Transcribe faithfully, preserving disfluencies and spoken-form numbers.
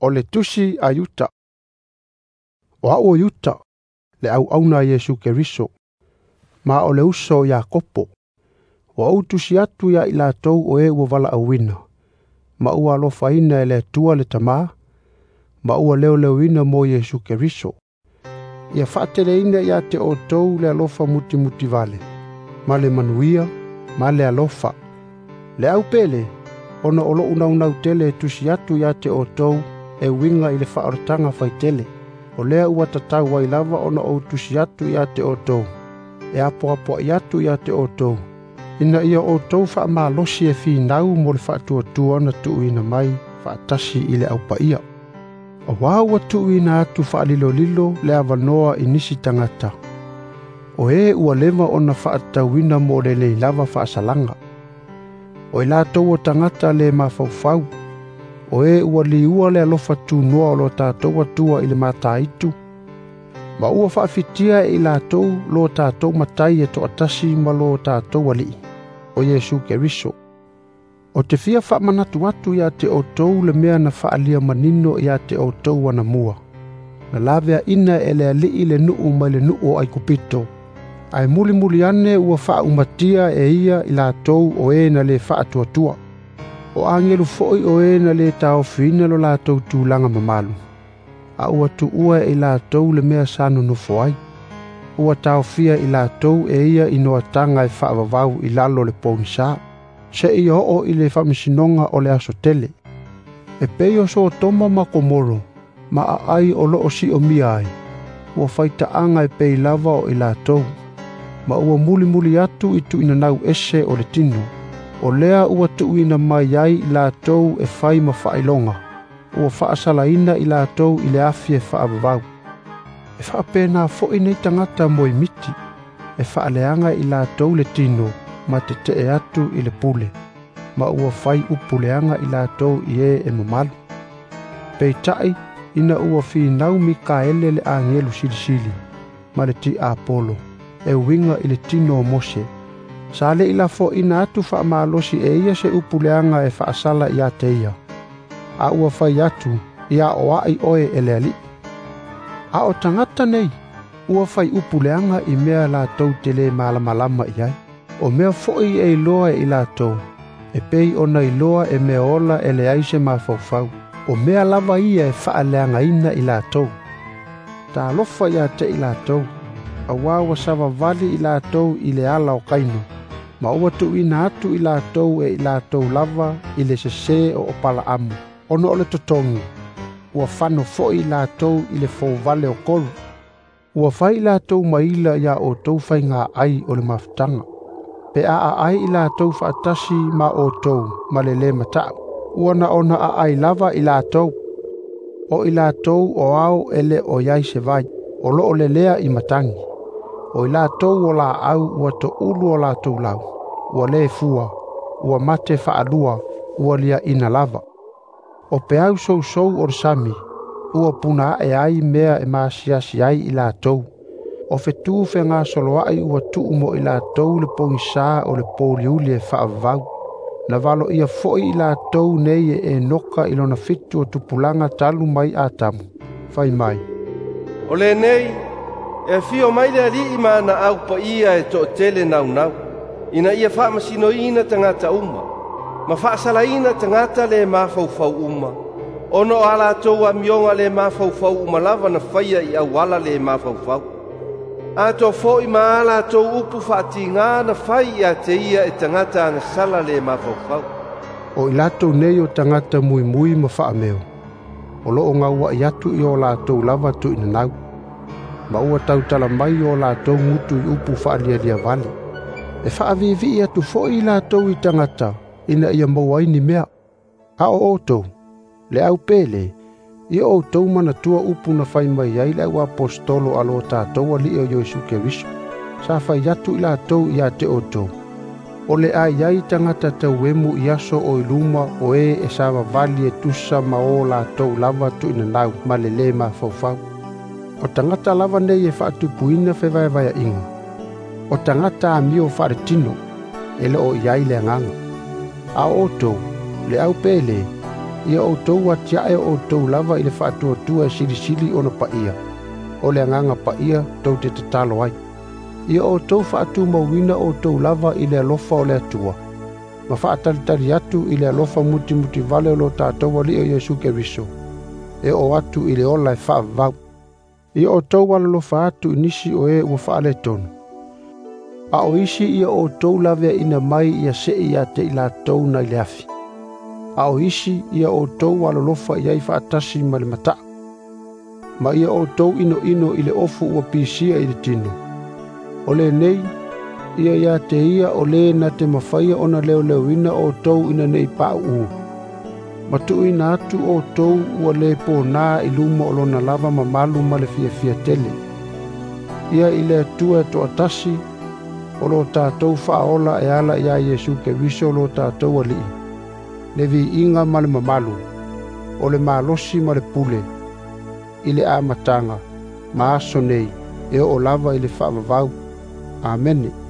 O le tusi a Iuta. O a'u o Iuta, le auauna a Iesu Keriso, ma o le uso o Iakopo. Ua ou tusi atu ia i latou o e ua valaauina, ma ua alofaina e le Atua le Tamā, ma ua leoleoina mo Iesu Keriso. Ia faateleina ia te outou le alofa mutimutivale, ma le manuia, ma le alofa. Le au pele, ona o lo'u naunau tele e tusi atu ia te outou e uiga i le faaolataga faitele. O lea ua tatau ai lava ona ou tusi atu ia te outou, e apoapoai atu ia te outou, ina ia outou faamalosi e finau mo le faatuatua na tuuina mai faatasi i le aupaia. Auā ua tuuina atu faalilolilo le avanoa i nisi tagata, o e ua leva ona faatatauina mo le lelei lava faasalaga. O i latou o tagata le mafaufau, o e ua liua le alofa tunoa o lo tatou Atua i le mataitu, ma ua faafitia e i latou lo tatou matai e toatasi ma lo tatou Alii, o Iesu Keriso. O te fia faamanatu atu ia te outou le mea na faaalia manino ia te outou anamua. Na laveaina e le Alii le nuu mai le nuu o Aikupito, ae mulimuli ane ua faaumatia e ia i latou o e na le faatuatua. O agelu foi o e na le taofiina lo latou tulaga mamalu, a ua tuua e i latou le mea sa nonofo ai. Ua taofia i latou e ia i noataga e faavavau i lalo o le pogisa, seia oo i le faamasinoga o le aso tele. E pei o Sotoma ma Komoro, ma aai o loo siomia ai, ua faitaaga e pei lava o i latou, ma ua mulimuli atu i tuuinanau ese o le tino. O lea ua tuuina mai ai i latou e fai ma faailoga, ua faasalaina i latou i le afi e faavavau. E faapena foi nei tagata moemiti, e faaleaga i latou le tino ma tetee atu i le pule, ma ua fai upu leaga i latou i e e mamalu. Peitai, ina ua finau Mikaele le agelu silisili, ma le tiapolo, e uiga i le tino o Mose, sa le i lafoina atu faamalosi e ia se upu leaga e faasala ia te ia, a ua fai atu, ia oai oe e le Alii. A o tagata nei, ua fai upu leaga i mea latou te le malamalama i ai. O mea foi e iloa e i latou, e pei ona iloa e mea ola e leai se mafaufau. O mea lava ia e faaleagaina i latou. Talofa ia te i latou, auā ua savavali i latou i le ala o Kaino, ma ua tuuina atu i latou e i latou lava i le sesē o Opalaamu, ona o le totogi, ua fano foi i latou i le fouvale o kolu. Ua fai i latou maila ia outou faiga ai o le mafutaga, pe a aai i latou faatasi ma outou ma le lē mataʻu, ua na ona aai lava i latou. O i latou o ao e le o i ai se vai, o loo lelea i matagi. O i latou o laau ua toulu o latou lau, ua lē fua, ua mate faalua, ua liaina lava. O peau sousou o le sami, ua puna ae ai mea e maasiasi ai i latou. O fetu fegasoloai ua tuu mo i latou le pogisā o le pouliuli e faavavau. Na valoia foi i latou nei e Enoka i lona fitu o tupulaga talu mai Atamu, fai mai, O lenei, e afio mai le Alii ma ana au paia e toatele naunau, ina ia faamasinoina tagata uma, ma faasalaina tagata le mafaufau uma, ona o a latou amioga le mafaufau uma lava na faia i auala le mafaufau. Atoa foi ma a latou upu faatigā na fai ia te ia e tagata agasala le mafaufau. O i latou nei o tagata muimui ma faameo, o loo gauaʻi atu i o latou lava tuuinanau, ma ua tautala mai o latou gutu i upu faalialia vale. E faaviivii atu foi i latou i tagata, ina ia maua ai ni mea. A o outou, le au pele, ia outou manatua upu na fai mai ai le au aposetolo a lo tatou Alii o Iesu Keriso. Sa fai atu i latou ia te outou, o le a i ai tagata tauemu i aso o i luma o e e savavali e tusa ma o latou lava tuuinanau ma le lē mafaufau. O tagata lava nei e faatupuina fevaevaeaʻiga. O tagata amio faaletino, e le o i ai le agaga. A o outou, le au pele, Ia outou atiae o outou lava i le faatuatua e silisili ona paia, o le agaga paia tou te tatalo ai. Ia outou faatumauina outou lava i le alofa o le Atua, ma faatalitali atu i le alofa mutimutivale o lo tatou Alii o Iesu Keriso, e oo atu i le ola e faavavau. Ia outou alolofa atu i nisi o e ua faaletonu, a o isi ia outou laveaina mai ia sei ia te i latou nai le afi. A o isi ia outou alolofa i ai faatasi ma le mataau, ma ia outou inoino i le ofu ua pisia i le tino. O lenei, ia ia te ia o le na te mafaia ona leoleoina outou ina nei pauu. Ma tuuina atu outou ua le pona i luma o lona lava mamalu ma le fiafia tele. Ia i le Atua e toatasi, o lo tatou faaola e ala ia Iesu Keriso lo tatou Alii, le viiga ma le mamalu, o le malosi ma le pule, i le amataga, ma aso nei, e oo lava i le faavavau. Amene.